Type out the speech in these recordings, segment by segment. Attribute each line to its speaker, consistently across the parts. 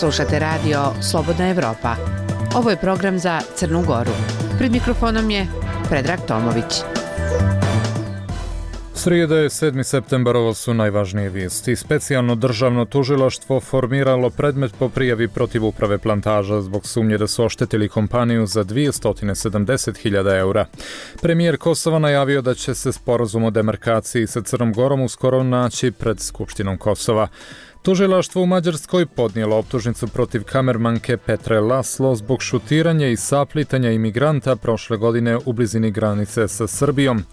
Speaker 1: Slušate radio Slobodna Evropa. Ovo je program za Crnu Goru. Pred mikrofonom je Predrag Tomović.
Speaker 2: Srijeda je 7. septembar, ovo su najvažnije vijesti. Specijalno državno tužilaštvo formiralo predmet po prijavi protiv uprave Plantaža zbog sumnje da su oštetili kompaniju za 270.000 eura. Premijer Kosova najavio da će se sporazum o demarkaciji sa Crnom Gorom uskoro naći pred Skupštinom Kosova. Tužilaštvo u Mađarskoj podnijelo optužnicu protiv kamermanke Petre Laslo zbog šutiranja i saplitanja imigranta prošle godine u blizini granice sa Srbijom.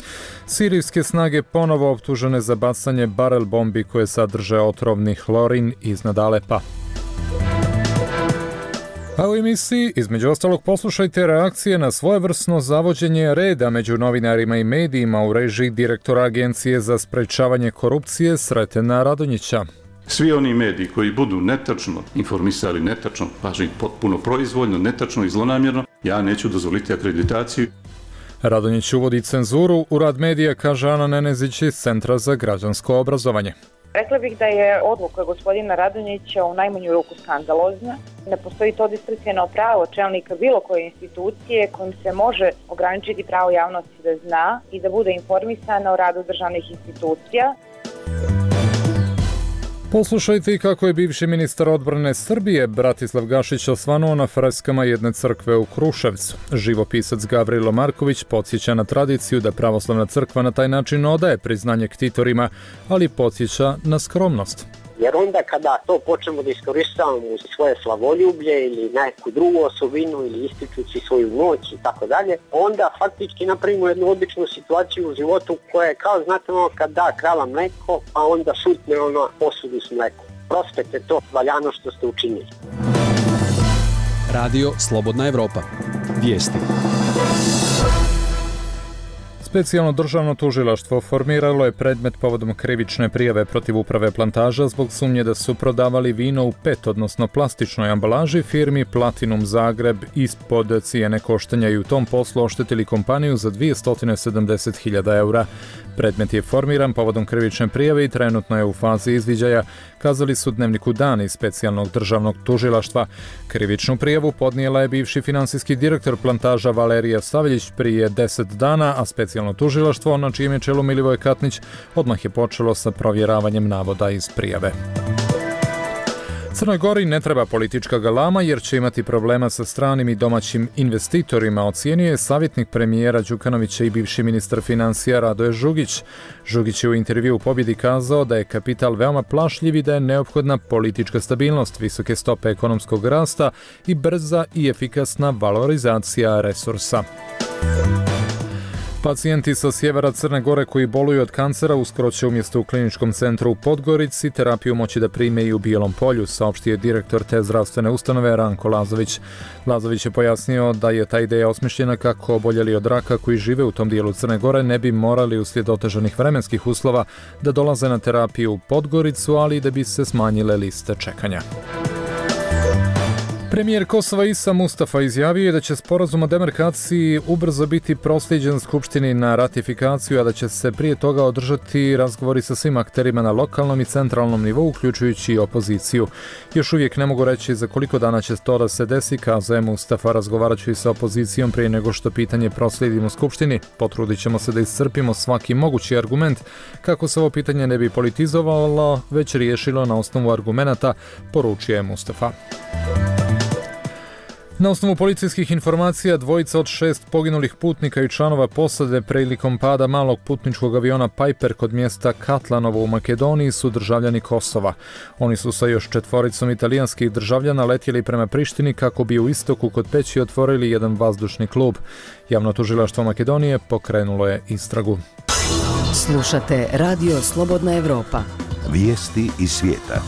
Speaker 2: Sirijske snage ponovo optužene za bacanje barel bombi koje sadrže otrovni hlorin iznad Alepa. A u emisiji, između ostalog, poslušajte reakcije na svojevrsno zavođenje reda među novinarima i medijima u režiji direktora Agencije za sprečavanje korupcije Sretena Radonjića.
Speaker 3: Svi oni mediji koji budu netačno informisali, netačno, pažnji potpuno proizvoljno, netačno i zlonamjerno, ja neću dozvoliti akreditaciju.
Speaker 2: Radonjić uvodi cenzuru u rad medija, kaže Ana Nenezić iz Centra za građansko obrazovanje.
Speaker 4: Rekla bih da je odluka gospodina Radonjića u najmanju ruku skandalozna. Ne postoji to diskreciono pravo čelnika bilo koje institucije kojim se može ograničiti pravo javnosti da zna i da bude informisana o radu državnih institucija.
Speaker 2: Poslušajte i kako je bivši ministar odbrane Srbije Bratislav Gašić osvanuo na freskama jedne crkve u Kruševcu. Živopisac Gavrilo Marković podsjeća na tradiciju da pravoslavna crkva na taj način odaje priznanje ktitorima, ali podsjeća na skromnost.
Speaker 5: Jer onda kada to počnemo da iskoristavamo u svoje slavoljublje ili neku drugu osobinu ili ističući svoju moć i tako dalje, onda faktički napravimo jednu običnu situaciju u životu koja je kao, znate, kad da krava mleko, pa onda šutne posudu s mlekom. Prospete to valjano što ste učinili.
Speaker 6: Radio Slobodna Evropa. Vijesti.
Speaker 2: Specijalno državno tužilaštvo formiralo je predmet povodom krivične prijave protiv uprave Plantaža zbog sumnje da su prodavali vino u PET, odnosno plastičnoj ambalaži, firmi Platinum Zagreb ispod cijene koštanja i u tom poslu oštetili kompaniju za 270.000 eura. Predmet je formiran povodom krivične prijave i trenutno je u fazi izviđaja, kazali su Dnevniku Dan iz Specijalnog državnog tužilaštva. Krivičnu prijavu podnijela je bivši finansijski direktor Plantaža Valerija Stavljić prije 10 dana, a Specijalno tužilaštvo, na čijem je čelu Milivoje Katnić, odmah je počelo sa provjeravanjem navoda iz prijave. Crnoj Gori ne treba politička galama jer će imati problema sa stranim i domaćim investitorima, ocijenio je savjetnik premijera Đukanovića i bivši ministar financija Radoje Žugić. Žugić je u intervjuu u Pobjedi kazao da je kapital veoma plašljiv i da je neophodna politička stabilnost, visoke stope ekonomskog rasta i brza i efikasna valorizacija resursa. Pacijenti sa sjevera Crne Gore koji boluju od kancera uskoro će umjesto u kliničkom centru u Podgorici terapiju moći da prime i u Bijelom Polju, saopštio je direktor te zdravstvene ustanove Ranko Lazović. Lazović je pojasnio da je ta ideja osmišljena kako oboljeli od raka koji žive u tom dijelu Crne Gore ne bi morali uslijed otežanih vremenskih uslova da dolaze na terapiju u Podgoricu, ali i da bi se smanjile liste čekanja. Premijer Kosova Isa Mustafa izjavio je da će sporazum o demarkaciji ubrzo biti proslijeđen Skupštini na ratifikaciju, a da će se prije toga održati razgovori sa svim akterima na lokalnom i centralnom nivou, uključujući i opoziciju. Još uvijek ne mogu reći za koliko dana će to da se desi, kazao je Mustafa. Razgovarat ću i sa opozicijom prije nego što pitanje proslijedimo Skupštini. Potrudit ćemo se da iscrpimo svaki mogući argument kako se ovo pitanje ne bi politizovalo, već riješilo na osnovu argumenata, poručio je Mustafa. Na osnovu policijskih informacija, dvojica od 6 poginulih putnika i članova posade prilikom pada malog putničkog aviona Piper kod mjesta Katlanovo u Makedoniji su državljani Kosova. Oni su sa još 4 italijanskih državljana letjeli prema Prištini kako bi u istoku kod Peći otvorili jedan vazdušni klub. Javno tužilaštvo Makedonije pokrenulo je istragu.
Speaker 7: Slušate Radio Slobodna Evropa.
Speaker 8: Vijesti iz svijeta.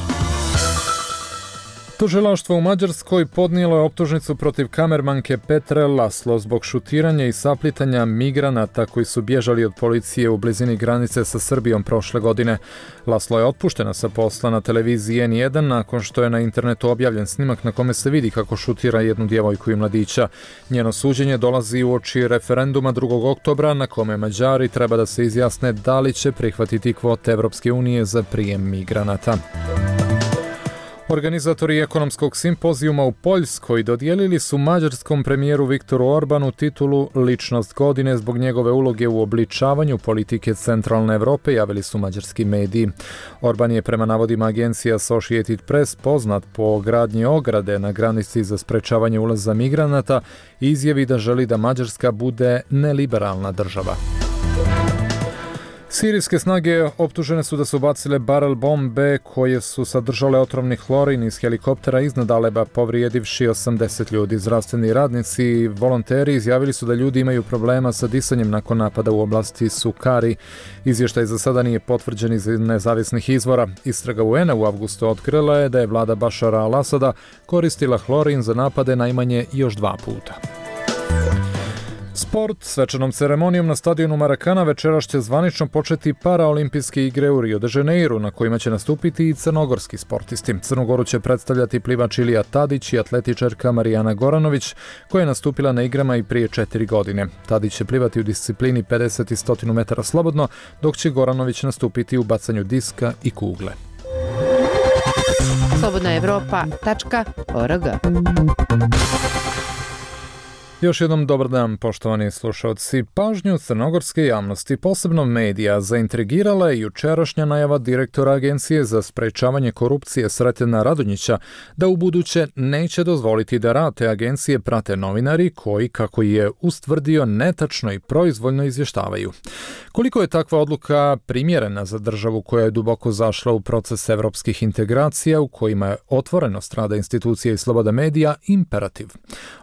Speaker 2: Tužilaštvo u Mađarskoj podnijelo je optužnicu protiv kamermanke Petre Laslo zbog šutiranja i saplitanja migranata koji su bježali od policije u blizini granice sa Srbijom prošle godine. Laslo je otpuštena sa posla na televiziji N1 nakon što je na internetu objavljen snimak na kome se vidi kako šutira jednu djevojku i mladića. Njeno suđenje dolazi uoči referenduma 2. oktobra na kome Mađari treba da se izjasne da li će prihvatiti kvote Evropske unije za prijem migranata. Organizatori ekonomskog simpozijuma u Poljskoj dodijelili su mađarskom premijeru Viktoru Orbanu titulu Ličnost godine zbog njegove uloge u obličavanju politike centralne Europe, javili su mađarski mediji. Orban je prema navodima agencije Associated Press poznat po gradnji ograde na granici za sprečavanje ulaza migranata i izjavi da želi da Mađarska bude neliberalna država. Sirijske snage optužene su da su bacile barel bombe koje su sadržale otrovni hlorin iz helikoptera iznad Aleba, povrijedivši 80 ljudi. Zdravstveni radnici i volonteri izjavili su da ljudi imaju problema sa disanjem nakon napada u oblasti Sukari. Izvještaj za sada nije potvrđen iz nezavisnih izvora. Istraga UN-a u avgustu otkrila je da je vlada Bašara al-Asada koristila hlorin za napade najmanje još 2 puta. Sport. Svečanom ceremonijom na stadionu Marakana večeras će zvanično početi paraolimpijske igre u Rio de Janeiru, na kojima će nastupiti i crnogorski sportisti. Crnu Goru će predstavljati plivač Ilija Tadić i atletičarka Marijana Goranović, koja je nastupila na igrama i prije 4 godine. Tadić će plivati u disciplini 50 i 100 metara slobodno, dok će Goranović nastupiti u bacanju diska i kugle.
Speaker 1: slobodnaevropa.org.
Speaker 2: Još jednom dobar dan, poštovani slušalci. Pažnju crnogorske javnosti, posebno medija, zaintrigirala je jučerašnja najava direktora Agencije za sprečavanje korupcije Sretena Radonjića da ubuduće neće dozvoliti da rad te agencije prate novinari koji, kako je ustvrdio, netačno i proizvoljno izvještavaju. Koliko je takva odluka primjerena za državu koja je duboko zašla u proces evropskih integracija u kojima je otvorenost rada institucija i sloboda medija imperativ?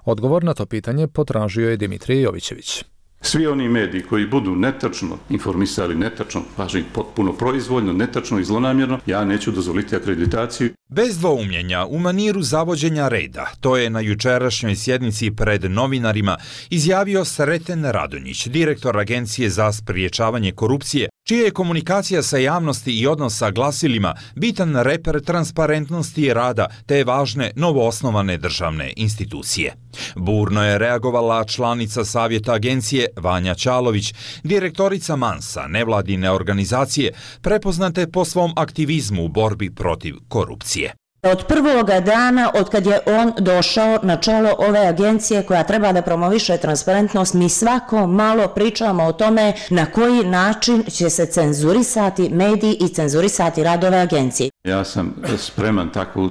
Speaker 2: Odgovor na to pitanje potražio je Dimitrije Jovićević.
Speaker 3: Svi oni mediji koji budu netačno informisali, netačno, pažnji potpuno proizvoljno, netačno i zlonamjerno, ja neću dozvoliti akreditaciju.
Speaker 9: Bez dvoumljenja, u maniru zavođenja reda, to je na jučerašnjoj sjednici pred novinarima izjavio Sreten Radonjić, direktor Agencije za spriječavanje korupcije, čija je komunikacija sa javnosti i odnos sa glasilima bitan reper transparentnosti rada te važne novoosnovane državne institucije. Burno je reagovala članica savjeta agencije Vanja Ćalović, direktorica Mansa, nevladine organizacije, prepoznate po svom aktivizmu u borbi protiv korupcije.
Speaker 10: Od prvoga dana, od kad je on došao na čelo ove agencije koja treba da promoviše transparentnost, mi svako malo pričamo o tome na koji način će se cenzurisati mediji i cenzurisati rad ove agencije.
Speaker 3: Ja sam spreman takvu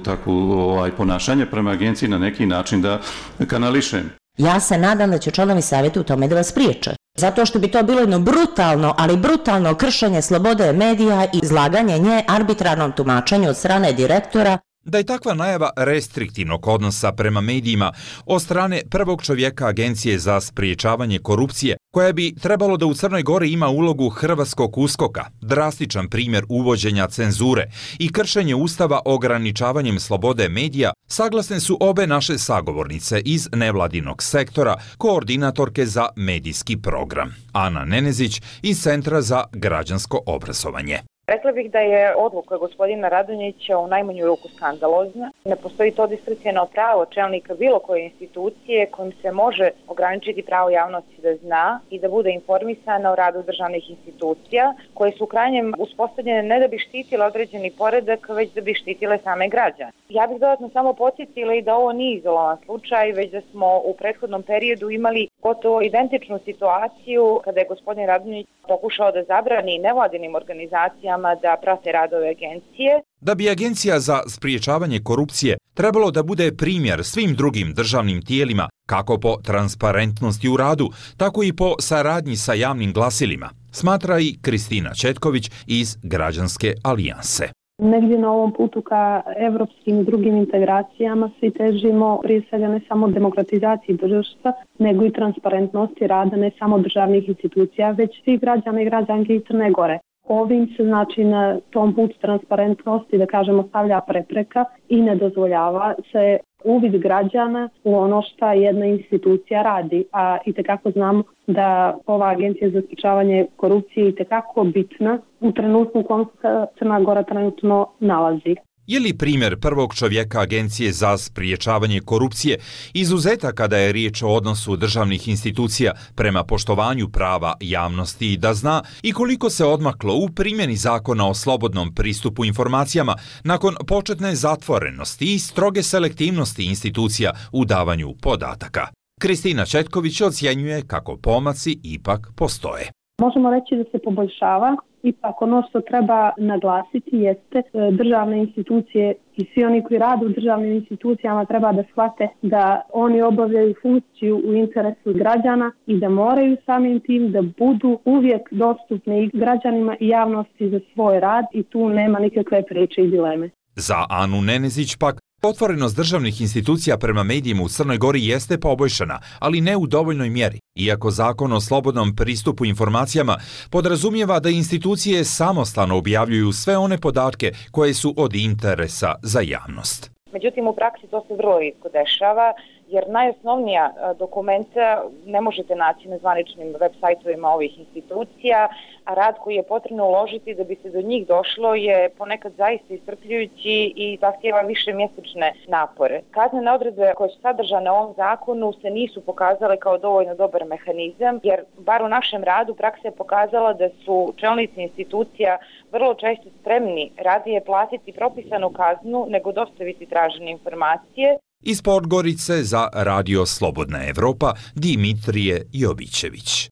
Speaker 3: ponašanje prema agenciji na neki način da kanališem.
Speaker 10: Ja se nadam da će članovi savjeta u tome da vas priječe. Zato što bi to bilo jedno brutalno, ali brutalno kršenje slobode medija i izlaganje nje arbitrarnom tumačenju od strane direktora.
Speaker 9: Da je takva najava restriktivnog odnosa prema medijima od strane prvog čovjeka Agencije za spriječavanje korupcije, koja bi trebalo da u Crnoj Gori ima ulogu hrvatskog USKOK-a, drastičan primjer uvođenja cenzure i kršenje Ustava ograničavanjem slobode medija, saglasne su obe naše sagovornice iz nevladinog sektora, koordinatorke za medijski program, Ana Nenezić iz Centra za građansko obrazovanje.
Speaker 4: Rekla bih da je odluka gospodina Radonjića u najmanju ruku skandalozna. Ne postoji to diskreciono pravo čelnika bilo koje institucije kojim se može ograničiti pravo javnosti da zna i da bude informisana o radu državnih institucija koje su u krajnjem uspostavljene ne da bi štitile određeni poredak, već da bi štitile same građane. Ja bih dodatno samo podsjetila i da ovo nije izolovan slučaj, već da smo u prethodnom periodu imali gotovo identičnu situaciju kada je gospodin Radonjić pokušao da zabrani nevladinim organizacijama da prate radove agencije.
Speaker 9: Da bi Agencija za spriječavanje korupcije trebalo da bude primjer svim drugim državnim tijelima, kako po transparentnosti u radu, tako i po saradnji sa javnim glasilima, smatra i Kristina Četković iz Građanske alijanse.
Speaker 11: Negdje na ovom putu ka evropskim i drugim integracijama svi težimo prije svega ne samo demokratizaciji društva, nego i transparentnosti rada ne samo državnih institucija, već svih građana i građanki iz Crne Gore. Ovim se znači na tom putu transparentnosti, da kažemo, stavlja prepreka i ne dozvoljava se uvid građana u ono što jedna institucija radi. A itekako znamo da ova agencija za sprečavanje korupcije je itekako bitna u trenutku u kojem se Crna Gora trenutno nalazi.
Speaker 9: Je li primjer prvog čovjeka Agencije za spriječavanje korupcije izuzetak kada je riječ o odnosu državnih institucija prema poštovanju prava javnosti da zna i koliko se odmaklo u primjeni zakona o slobodnom pristupu informacijama nakon početne zatvorenosti i stroge selektivnosti institucija u davanju podataka? Kristina Četković ocjenjuje kako pomaci ipak postoje.
Speaker 11: Možemo reći da se poboljšava. Ipak ono što treba naglasiti jeste državne institucije i svi oni koji rade u državnim institucijama treba da shvate da oni obavljaju funkciju u interesu građana i da moraju samim tim da budu uvijek dostupni i građanima i javnosti za svoj rad i tu nema nikakve priče i dileme.
Speaker 9: Za Anu Nenezić pak, otvorenost državnih institucija prema medijima u Crnoj Gori jeste poboljšana, ali ne u dovoljnoj mjeri, iako zakon o slobodnom pristupu informacijama podrazumijeva da institucije samostalno objavljuju sve one podatke koje su od interesa za javnost.
Speaker 4: Međutim, u praksi to se vrlo rijetko dešava, jer najosnovnija dokumenta ne možete naći na zvaničnim web sajtovima ovih institucija, a rad koji je potrebno uložiti da bi se do njih došlo je ponekad zaista iscrpljujući i zahtijeva više mjesečne napore. Kaznene odredbe koje su sadržane u ovom zakonu se nisu pokazale kao dovoljno dobar mehanizam, jer bar u našem radu praksa je pokazala da su čelnici institucija vrlo često spremni radije platiti propisanu kaznu nego dostaviti tražene informacije.
Speaker 9: Iz Podgorice za Radio Slobodna Evropa, Dimitrije Jovićević.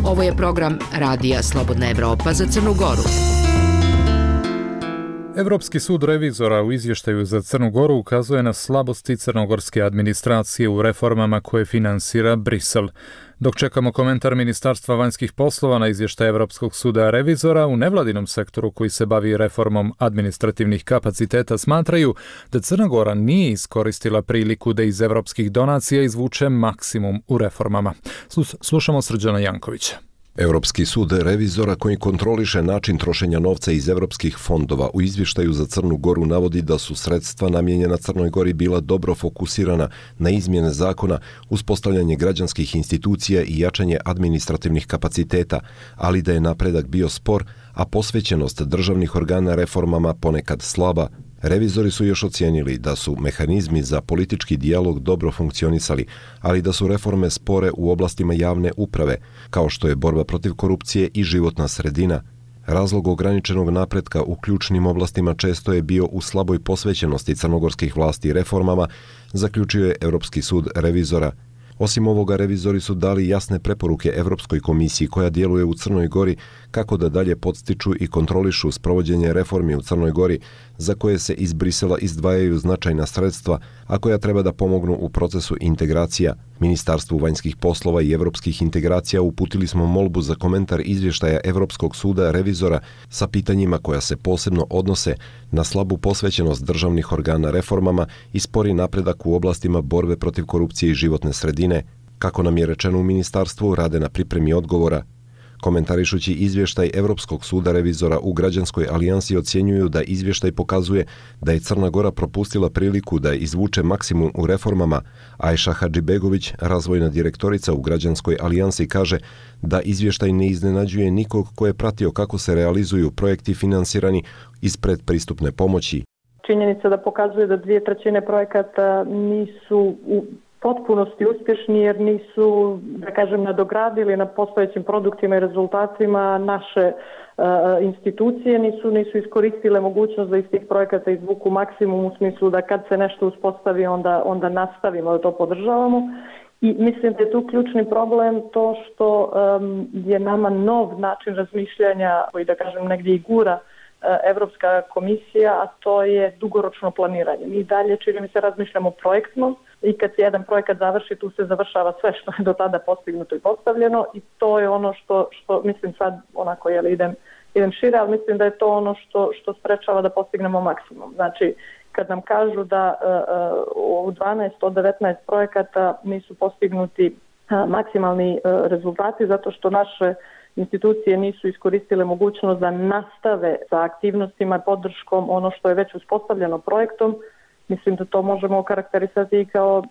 Speaker 1: Ovo je program Radija Slobodna Evropa za Crnu Goru.
Speaker 2: Evropski sud revizora u izvještaju za Crnu Goru ukazuje na slabosti crnogorske administracije u reformama koje finansira Brisel. Dok čekamo komentar Ministarstva vanjskih poslova na izvještaj Evropskog suda revizora, u nevladinom sektoru koji se bavi reformom administrativnih kapaciteta smatraju da Crna Gora nije iskoristila priliku da iz evropskih donacija izvuče maksimum u reformama. Slušamo Srđana Jankovića.
Speaker 12: Europski sud revizora koji kontroliše način trošenja novca iz evropskih fondova u izvještaju za Crnu Goru navodi da su sredstva namijenjena Crnoj Gori bila dobro fokusirana na izmjene zakona, uspostavljanje građanskih institucija i jačanje administrativnih kapaciteta, ali da je napredak bio spor, a posvećenost državnih organa reformama ponekad slaba. Revizori su još ocijenili da su mehanizmi za politički dijalog dobro funkcionisali, ali da su reforme spore u oblastima javne uprave, kao što je borba protiv korupcije i životna sredina. Razlog ograničenog napretka u ključnim oblastima često je bio u slaboj posvećenosti crnogorskih vlasti reformama, zaključio je Europski sud revizora. Osim ovoga, revizori su dali jasne preporuke Europskoj komisiji koja djeluje u Crnoj Gori kako da dalje podstiču i kontrolišu sprovođenje reformi u Crnoj Gori za koje se iz Brisela izdvajaju značajna sredstva, a koja treba da pomognu u procesu integracija. Ministarstvu vanjskih poslova i evropskih integracija uputili smo molbu za komentar izvještaja Europskog suda revizora sa pitanjima koja se posebno odnose na slabu posvećenost državnih organa reformama i spori napredak u oblastima borbe protiv korupcije i životne sredine. Kako nam je rečeno u ministarstvu, rade na pripremi odgovora. Komentarišući izvještaj Europskog suda revizora u Građanskoj alijansi ocjenjuju da izvještaj pokazuje da je Crna Gora propustila priliku da izvuče maksimum u reformama. Ajša Hadžibegović, razvojna direktorica u Građanskoj alijansi, kaže da izvještaj ne iznenađuje nikog ko je pratio kako se realizuju projekti finansirani iz predpristupne pomoći.
Speaker 13: Činjenica da pokazuje da 2/3 projekata nisu u potpunosti uspješni jer nisu, da kažem, nadogradili na postojećim produktima i rezultatima naše institucije, nisu iskoristile mogućnost da iz tih projekata izvuku maksimum u smislu da kad se nešto uspostavi onda nastavimo da to podržavamo. I mislim da je tu ključni problem to što je nama nov način razmišljanja koji, da kažem, negdje i gura Evropska komisija, a to je dugoročno planiranje. Mi dalje, čini mi se, razmišljamo projektno i kad se jedan projekat završi, tu se završava sve što je do tada postignuto i postavljeno i to je ono što mislim sad, onako idem šire, ali mislim da je to ono što sprečava da postignemo maksimum. Znači, kad nam kažu da u 12 od 19 projekata nisu postignuti maksimalni rezultati zato što naše institucije nisu iskoristile mogućnost da nastave sa aktivnostima i podrškom ono što je već uspostavljeno projektom. Mislim da to možemo okarakterisati kao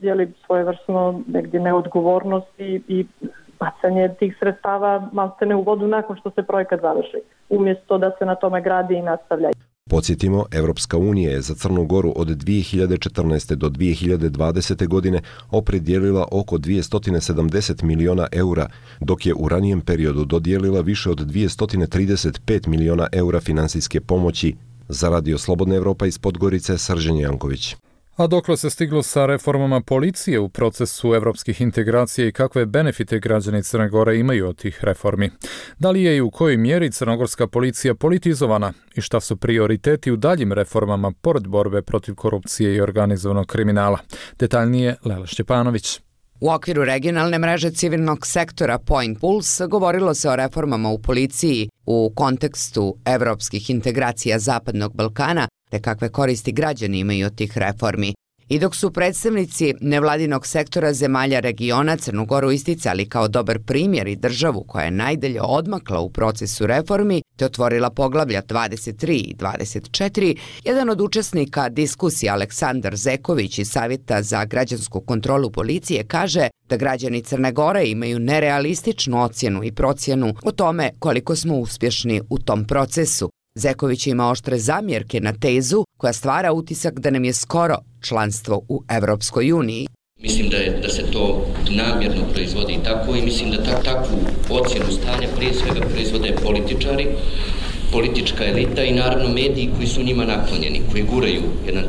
Speaker 13: svojevrsno negdje neodgovornost i bacanje tih sredstava maltene u vodu nakon što se projekat završi, umjesto da se na tome gradi i nastavlja.
Speaker 12: Podsjetimo, Evropska unija je za Crnu Goru od 2014. do 2020. godine opredijelila oko 270 miliona eura, dok je u ranijem periodu dodijelila više od 235 miliona eura finansijske pomoći. Za Radio Slobodna Evropa iz Podgorice, Srđan Janković.
Speaker 2: A dokle se stiglo sa reformama policije u procesu evropskih integracija i kakve benefite građani Crne Gore imaju od tih reformi? Da li je i u kojoj mjeri crnogorska policija politizovana i šta su prioriteti u daljim reformama pored borbe protiv korupcije i organizovanog kriminala? Detaljnije Lela Šćepanović.
Speaker 14: U okviru regionalne mreže civilnog sektora Point Pulse govorilo se o reformama u policiji u kontekstu evropskih integracija Zapadnog Balkana te kakve koristi građani imaju od tih reformi. I dok su predstavnici nevladinog sektora zemalja regiona Crnu Goru isticali kao dobar primjer i državu koja je najdalje odmakla u procesu reformi te otvorila poglavlja 23 i 24, jedan od učesnika diskusije Aleksandar Zeković iz Savjeta za građansku kontrolu policije kaže da građani Crne Gore imaju nerealističnu ocjenu i procjenu o tome koliko smo uspješni u tom procesu. Zeković ima oštre zamjerke na tezu koja stvara utisak da nam je skoro članstvo u Evropskoj uniji.
Speaker 15: Mislim da se to namjerno proizvodi tako i mislim da takvu ocjenu stanja prije svega proizvode političari, politička elita i naravno mediji koji su njima naklonjeni, koji guraju jedan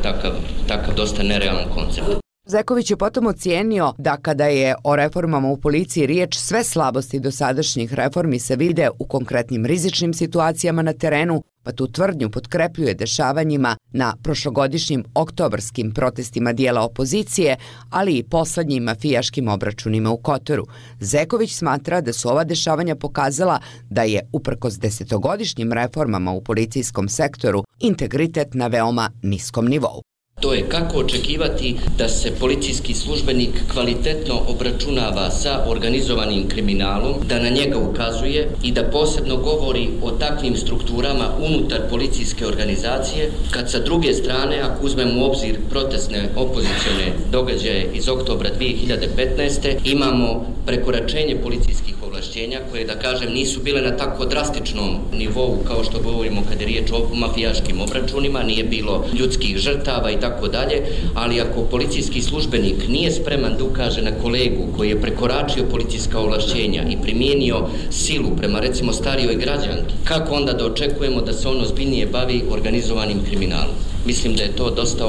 Speaker 15: takav dosta nerealan koncept.
Speaker 14: Zeković je potom ocijenio da kada je o reformama u policiji riječ, sve slabosti dosadašnjih reformi se vide u konkretnim rizičnim situacijama na terenu, pa tu tvrdnju potkrepljuje dešavanjima na prošlogodišnjim oktobarskim protestima dijela opozicije, ali i poslednjim mafijaškim obračunima u Kotoru. Zeković smatra da su ova dešavanja pokazala da je, uprkos desetogodišnjim reformama u policijskom sektoru, integritet na veoma niskom nivou.
Speaker 15: To je kako očekivati da se policijski službenik kvalitetno obračunava sa organizovanim kriminalom, da na njega ukazuje i da posebno govori o takvim strukturama unutar policijske organizacije, kad sa druge strane, ako uzmemo u obzir protestne opozicione događaje iz oktobra 2015. imamo prekoračenje policijskih ovlašćenja koje, da kažem, nisu bile na tako drastičnom nivou kao što govorimo kad je riječ o mafijaškim obračunima, nije bilo ljudskih žrtava i tako dalje, ali ako policijski službenik nije spreman da ukaže na kolegu koji je prekoračio policijska ovlašćenja i primijenio silu prema recimo starijoj građanki, kako onda da očekujemo da se on ozbiljnije bavi organizovanim kriminalom? Mislim da je to dosta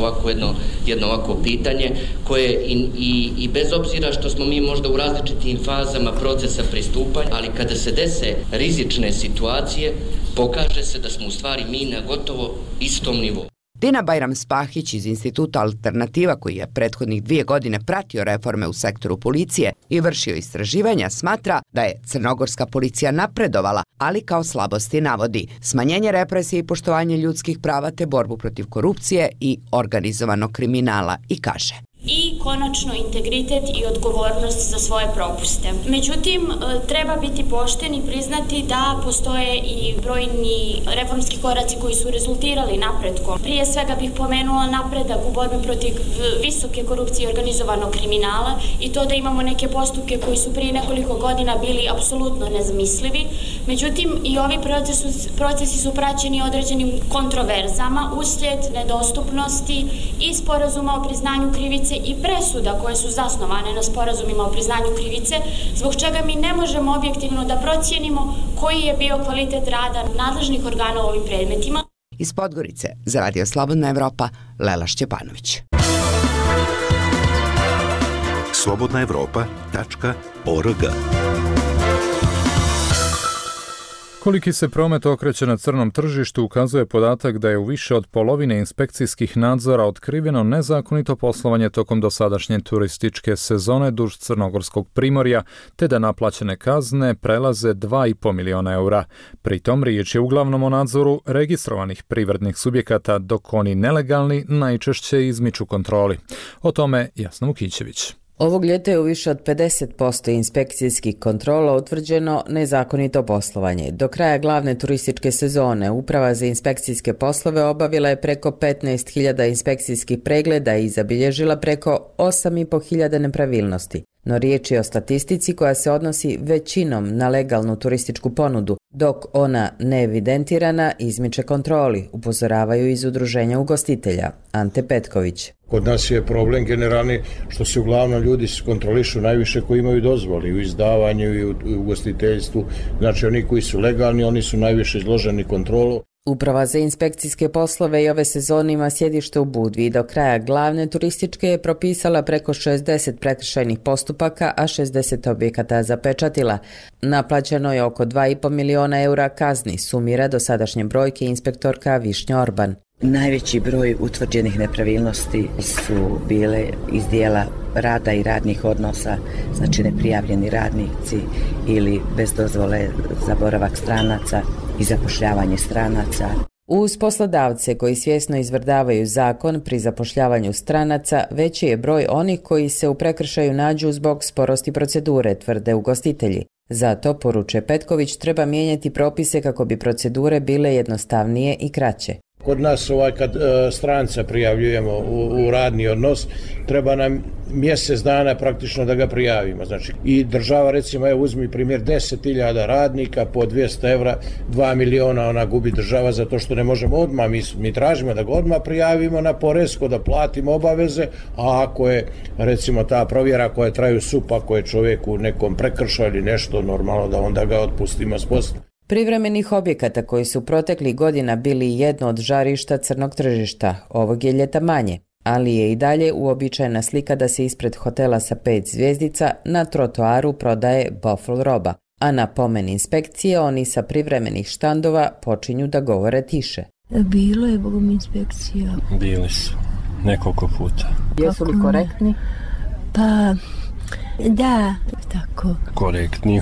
Speaker 15: jedno ovako pitanje koje i bez obzira što smo mi možda u različitim fazama procesa pristupanja, ali kada se dese rizične situacije, pokaže se da smo u stvari mi na gotovo istom nivou.
Speaker 14: Dina Bajram-Spahić iz Instituta Alternativa, koji je prethodnih 2 godine pratio reforme u sektoru policije i vršio istraživanja, smatra da je crnogorska policija napredovala, ali kao slabosti navodi smanjenje represije i poštovanje ljudskih prava te borbu protiv korupcije i organizovanog kriminala i kaže:
Speaker 16: i konačno integritet i odgovornost za svoje propuste. Međutim, treba biti pošten i priznati da postoje i brojni reformski koraci koji su rezultirali napretkom. Prije svega bih pomenula napredak u borbi protiv visoke korupcije i organizovanog kriminala i to da imamo neke postupke koji su prije nekoliko godina bili apsolutno nezamislivi. Međutim, i ovi procesi su praćeni određenim kontroverzama uslijed nedostupnosti i sporazuma o priznanju krivice i presuda koje su zasnovane na sporazumima o priznanju krivice, zbog čega mi ne možemo objektivno da procijenimo koji je bio kvalitet rada nadležnih organa u ovim predmetima.
Speaker 14: Iz Podgorice za Radio Slobodna Evropa, Lela Šćepanović.
Speaker 8: slobodnaevropa.org.
Speaker 2: Koliki se promet okreće na crnom tržištu ukazuje podatak da je u više od polovine inspekcijskih nadzora otkriveno nezakonito poslovanje tokom dosadašnje turističke sezone duž crnogorskog primorja, te da naplaćene kazne prelaze 2,5 miliona eura. Pritom riječ je uglavnom o nadzoru registrovanih privrednih subjekata, dok oni nelegalni najčešće izmiču kontroli. O tome Jasna Vukićević.
Speaker 17: Ovog ljeta je u više od 50% inspekcijskih kontrola utvrđeno nezakonito poslovanje. Do kraja glavne turističke sezone Uprava za inspekcijske poslove obavila je preko 15.000 inspekcijskih pregleda i zabilježila preko 8.500 nepravilnosti. No riječ je o statistici koja se odnosi većinom na legalnu turističku ponudu, dok ona neevidentirana izmiče kontroli, upozoravaju iz udruženja ugostitelja. Ante Petković.
Speaker 18: Kod nas je problem generalni što se uglavnom ljudi kontrolišu najviše koji imaju dozvoli u izdavanju i u ugostiteljstvu. Znači oni koji su legalni, oni su najviše izloženi kontrolu.
Speaker 17: Uprava za inspekcijske poslove i ove sezone ima sjedište u Budvi. Do kraja glavne turističke je propisala preko 60 prekršajnih postupaka, a 60 objekata zapečatila. Naplaćeno je oko 2,5 miliona eura kazni, sumira dosadašnje brojke inspektorka Višnja Orban.
Speaker 19: Najveći broj utvrđenih nepravilnosti su bile iz dijela rada i radnih odnosa, znači neprijavljeni radnici ili bez dozvole za boravak stranaca i zapošljavanje stranaca.
Speaker 17: Uz poslodavce koji svjesno izvrdavaju zakon pri zapošljavanju stranaca, veći je broj onih koji se u prekršaju nađu zbog sporosti procedure, tvrde ugostitelji. Zato, poručuje Petković, treba mijenjati propise kako bi procedure bile jednostavnije i kraće.
Speaker 18: Kod nas kad stranca prijavljujemo u radni odnos, treba nam mjesec dana praktično da ga prijavimo. Znači, i država, recimo, uzmi primjer 10.000 radnika po 200 evra, 2 miliona ona gubi država zato što ne možemo odmah, mi tražimo da ga odmah prijavimo na poresko, da platimo obaveze, a ako je, recimo, ta provjera koja traju supa, ako je čovjek u nekom prekršaju ili nešto, normalno da onda ga otpustimo s posla.
Speaker 17: Privremenih objekata koji su proteklih godina bili jedno od žarišta crnog tržišta, ovog je ljeta manje, ali je i dalje uobičajena slika da se ispred hotela sa 5 zvjezdica na trotoaru prodaje bofl roba, a na pomen inspekcije oni sa privremenih štandova počinju da govore tiše.
Speaker 20: Bilo je, bogom, inspekcija.
Speaker 21: Bili su, nekoliko puta.
Speaker 17: Jesu li korektni?
Speaker 20: Pa, da, tako.
Speaker 21: Korektni,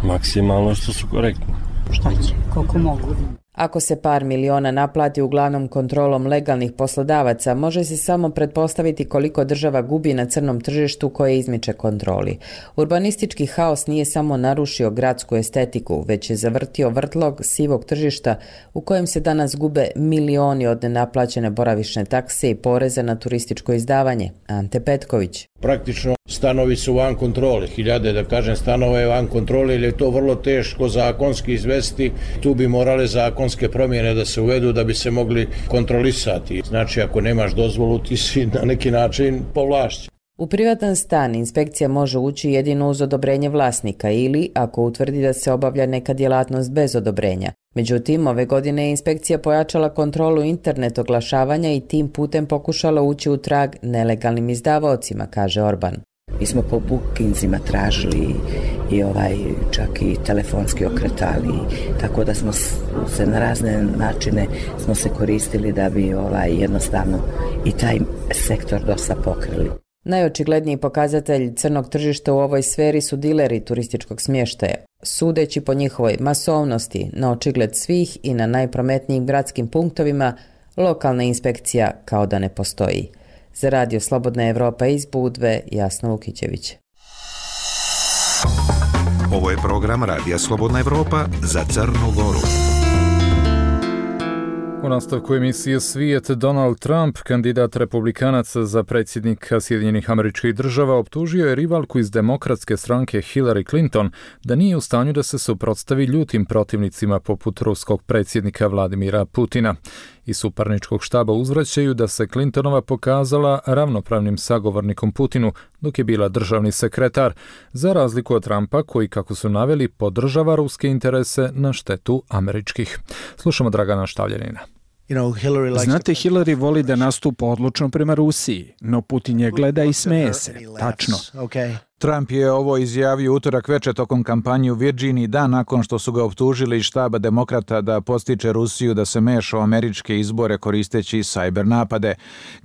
Speaker 21: maksimalno što su korektni.
Speaker 20: Šta će, koliko mogu.
Speaker 17: Ako se par miliona naplati uglavnom kontrolom legalnih poslodavaca, može se samo pretpostaviti koliko država gubi na crnom tržištu koje izmiče kontroli. Urbanistički haos nije samo narušio gradsku estetiku, već je zavrtio vrtlog sivog tržišta u kojem se danas gube milioni od nenaplaćene boravišne takse i poreze na turističko izdavanje. Ante Petković.
Speaker 18: Praktično stanovi su van kontrole, hiljade, da kažem, stanova je van kontrole, jer je to vrlo teško zakonski izvesti. Tu bi morale zakonske promjene da se uvedu da bi se mogli kontrolisati. Znači, ako nemaš dozvolu, ti si na neki način povlašćen.
Speaker 17: U privatan stan inspekcija može ući jedino uz odobrenje vlasnika ili ako utvrdi da se obavlja neka djelatnost bez odobrenja. Međutim, ove godine je inspekcija pojačala kontrolu internet oglašavanja i tim putem pokušala ući u trag nelegalnim izdavaocima, kaže Orban.
Speaker 19: Mi smo po bookingsima tražili i čak i telefonski okretali, tako da smo se na razne načine smo se koristili da bi jednostavno i taj sektor dosta pokrili.
Speaker 17: Najočigledniji pokazatelj crnog tržišta u ovoj sferi su dileri turističkog smještaja. Sudeći po njihovoj masovnosti, na očigled svih i na najprometnijim gradskim punktovima, lokalna inspekcija kao da ne postoji. Za Radio Slobodna Evropa iz Budve, Jasna Vukićević.
Speaker 8: Ovo je program Radija Slobodna Evropa za Crnu Goru.
Speaker 2: U nastavku emisije Svijet, Donald Trump, kandidat republikanaca za predsjednika Sjedinjenih Američkih Država, optužio je rivalku iz demokratske stranke Hillary Clinton da nije u stanju da se suprotstavi ljutim protivnicima poput ruskog predsjednika Vladimira Putina. Iz suparničkog štaba uzvraćaju da se Clintonova pokazala ravnopravnim sagovornikom Putinu dok je bila državni sekretar, za razliku od Trumpa koji, kako su naveli, podržava ruske interese na štetu američkih. Slušamo Dragana Štavljanina.
Speaker 22: Znate, Hillary voli da nastupa odlučno prema Rusiji, no Putin je gleda i smeje se. Tačno.
Speaker 23: Trump je ovo izjavio utorak večer tokom kampanje u Virginiji, dan nakon što su ga optužili iz štaba demokrata da podstiče Rusiju da se meša u američke izbore koristeći cyber napade.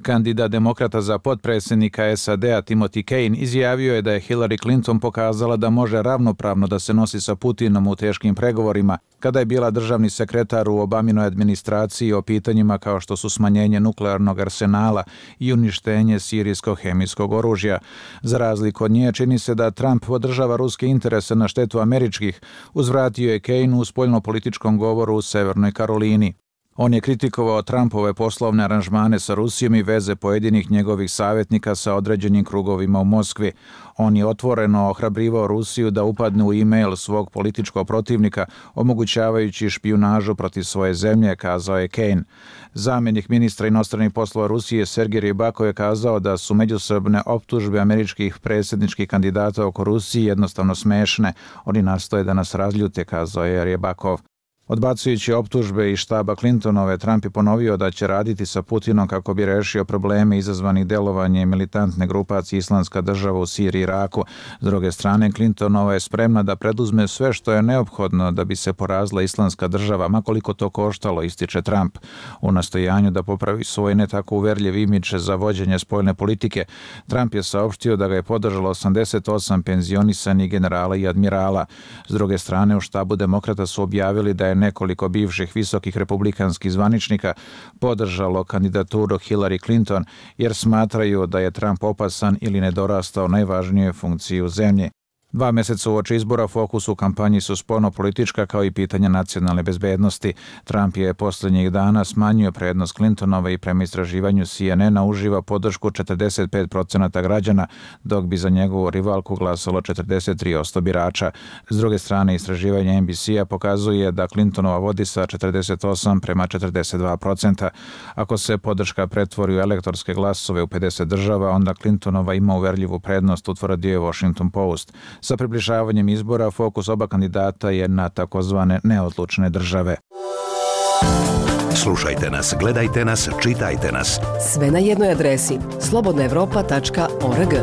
Speaker 23: Kandidat demokrata za potpredsjednika SAD-a Timothy Kane izjavio je da je Hillary Clinton pokazala da može ravnopravno da se nosi sa Putinom u teškim pregovorima, kada je bila državni sekretar u Obaminoj administraciji o pitanjima kao što su smanjenje nuklearnog arsenala i uništenje sirijskog hemijskog oružja. Za razliku od nje, čini se da Trump podržava ruske interese na štetu američkih, uzvratio je Kane u spoljnopolitičkom govoru u Severnoj Karolini. On je kritikovao Trumpove poslovne aranžmane sa Rusijom i veze pojedinih njegovih savjetnika sa određenim krugovima u Moskvi. On je otvoreno ohrabrivao Rusiju da upadne u e-mail svog političkog protivnika, omogućavajući špijunažu protiv svoje zemlje, kazao je Kane. Zamjenik ministra inostranih poslova Rusije Sergej Rybakov je kazao da su međusobne optužbe američkih predsjedničkih kandidata oko Rusije jednostavno smešne. Oni nastoje da nas razljute, kazao je Rybakov. Odbacujući optužbe iz štaba Clintonove, Trump je ponovio da će raditi sa Putinom kako bi rešio probleme izazvanih delovanjem militantne grupacije Islamska država u Siriji i Iraku. S druge strane, Clintonova je spremna da preduzme sve što je neophodno da bi se porazila Islamska država, makoliko to koštalo, ističe Trump. U nastojanju da popravi svoj ne tako uverljiv imidž za vođenje spoljne politike, Trump je saopštio da ga je podržalo 88 penzionisanih generala i admirala. S druge strane, u štabu demokrata su objavili da je nekoliko bivših visokih republikanskih zvaničnika podržalo kandidaturu Hillary Clinton jer smatraju da je Trump opasan ili nedorastao najvažnijoj funkciji u zemlji. 2 mjeseca uoči izbora fokus u kampanji su spoljno-politička kao i pitanja nacionalne bezbednosti. Trump je posljednjih dana smanjio prednost Clintonove i prema istraživanju CNN-a uživa podršku 45% građana, dok bi za njegovu rivalku glasalo 43% birača. S druge strane, istraživanje NBC-a pokazuje da Clintonova vodi sa 48 prema 42%. Ako se podrška pretvori u elektorske glasove u 50 država, onda Clintonova ima uverljivu prednost, utvrdio je Washington Post. Sa približavanjem izbora fokus oba kandidata je na takozvane neodlučne države.
Speaker 8: Slušajte nas, gledajte nas, čitajte nas.
Speaker 5: Sve na jednoj adresi slobodnaevropa.org.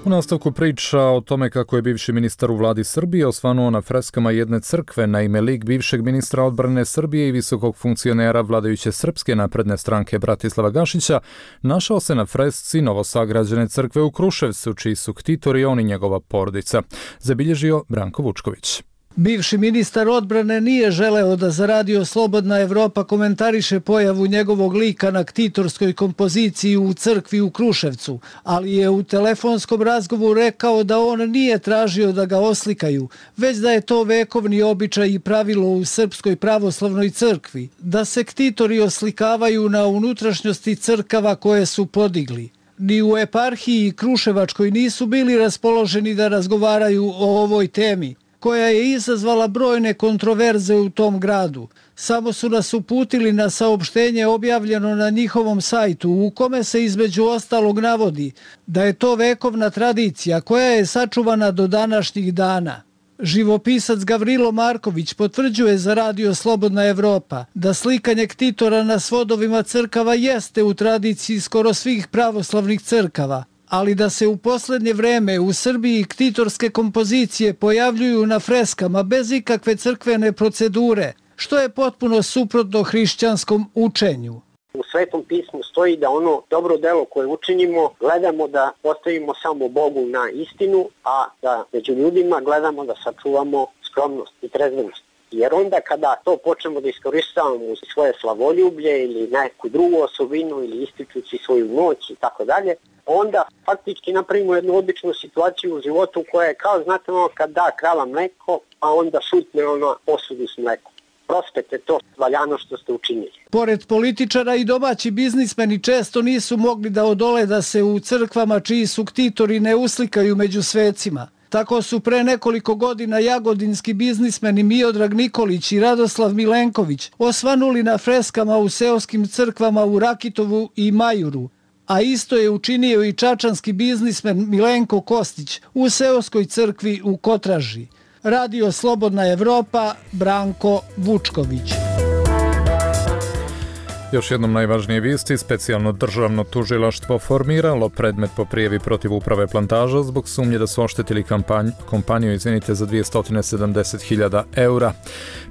Speaker 2: U nastavku priča o tome kako je bivši ministar u vladi Srbije osvanuo na freskama jedne crkve. Naime, lik bivšeg ministra odbrane Srbije i visokog funkcionera vladajuće Srpske napredne stranke Bratislava Gašića našao se na fresci novosagrađene crkve u Kruševcu, čiji su ktitori on i njegova porodica. Zabilježio Branko Vučković.
Speaker 6: Bivši ministar odbrane nije želeo da za Radio Slobodna Evropa komentariše pojavu njegovog lika na ktitorskoj kompoziciji u crkvi u Kruševcu, ali je u telefonskom razgovoru rekao da on nije tražio da ga oslikaju, već da je to vekovni običaj i pravilo u Srpskoj pravoslavnoj crkvi, da se ktitori oslikavaju na unutrašnjosti crkava koje su podigli. Ni u eparhiji Kruševačkoj nisu bili raspoloženi da razgovaraju o ovoj temi, koja je izazvala brojne kontroverze u tom gradu. Samo su nas uputili na saopštenje objavljeno na njihovom sajtu, u kome se između ostalog navodi da je to vekovna tradicija koja je sačuvana do današnjih dana. Živopisac Gavrilo Marković potvrđuje za Radio Slobodna Evropa da slikanje ktitora na svodovima crkava jeste u tradiciji skoro svih pravoslavnih crkava, ali da se u posljednje vreme u Srbiji ktitorske kompozicije pojavljuju na freskama bez ikakve crkvene procedure, što je potpuno suprotno hrišćanskom učenju.
Speaker 7: U Svetom pismu stoji da ono dobro delo koje učinimo gledamo da postavimo samo Bogu na istinu, a da među ljudima gledamo da sačuvamo skromnost i trezvenost. Jer onda kada to počnemo da iskoristavamo u svoje slavoljublje ili neku drugu osobinu ili ističući svoju moć i tako dalje, onda faktički napravimo jednu običnu situaciju u životu koja je kao, znate, ono kad da krava mleko, a onda šutne ono posudu s mlekom. Prospete to valjano što ste učinili.
Speaker 6: Pored političara i domaći biznismeni često nisu mogli da odole da se u crkvama čiji su ktitori ne uslikaju među svecima. Tako su pre nekoliko godina jagodinski biznismeni Miodrag Nikolić i Radoslav Milenković osvanuli na freskama u seoskim crkvama u Rakitovu i Majuru, a isto je učinio i čačanski biznismen Milenko Kostić u seoskoj crkvi u Kotraži. Radio Slobodna Evropa, Branko Vučković.
Speaker 2: Još jednom najvažnije vijesti, specijalno državno tužilaštvo formiralo predmet po prijavi protiv uprave Plantaža zbog sumnje da su oštetili kompaniju za 270.000 eura.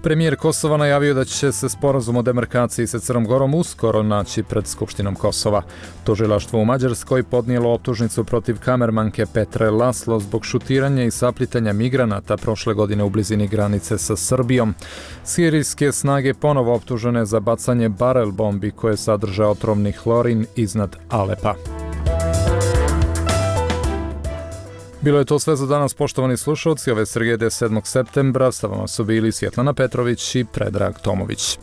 Speaker 2: Premijer Kosova najavio da će se sporazum o demarkaciji sa Crnom Gorom uskoro naći pred Skupštinom Kosova. Tužilaštvo u Mađarskoj podnijelo optužnicu protiv kamermanke Petre Laslo zbog šutiranja i saplitanja migranata prošle godine u blizini granice sa Srbijom. Sirijske snage ponovo optužene za bacanje barel bombi koje sadrže otrovni hlorin iznad Alepa. Bilo je to sve za danas, poštovani slušalci. Ove srijede 7. septembra sa vama su bili Svjetlana Petrović i Predrag Tomović.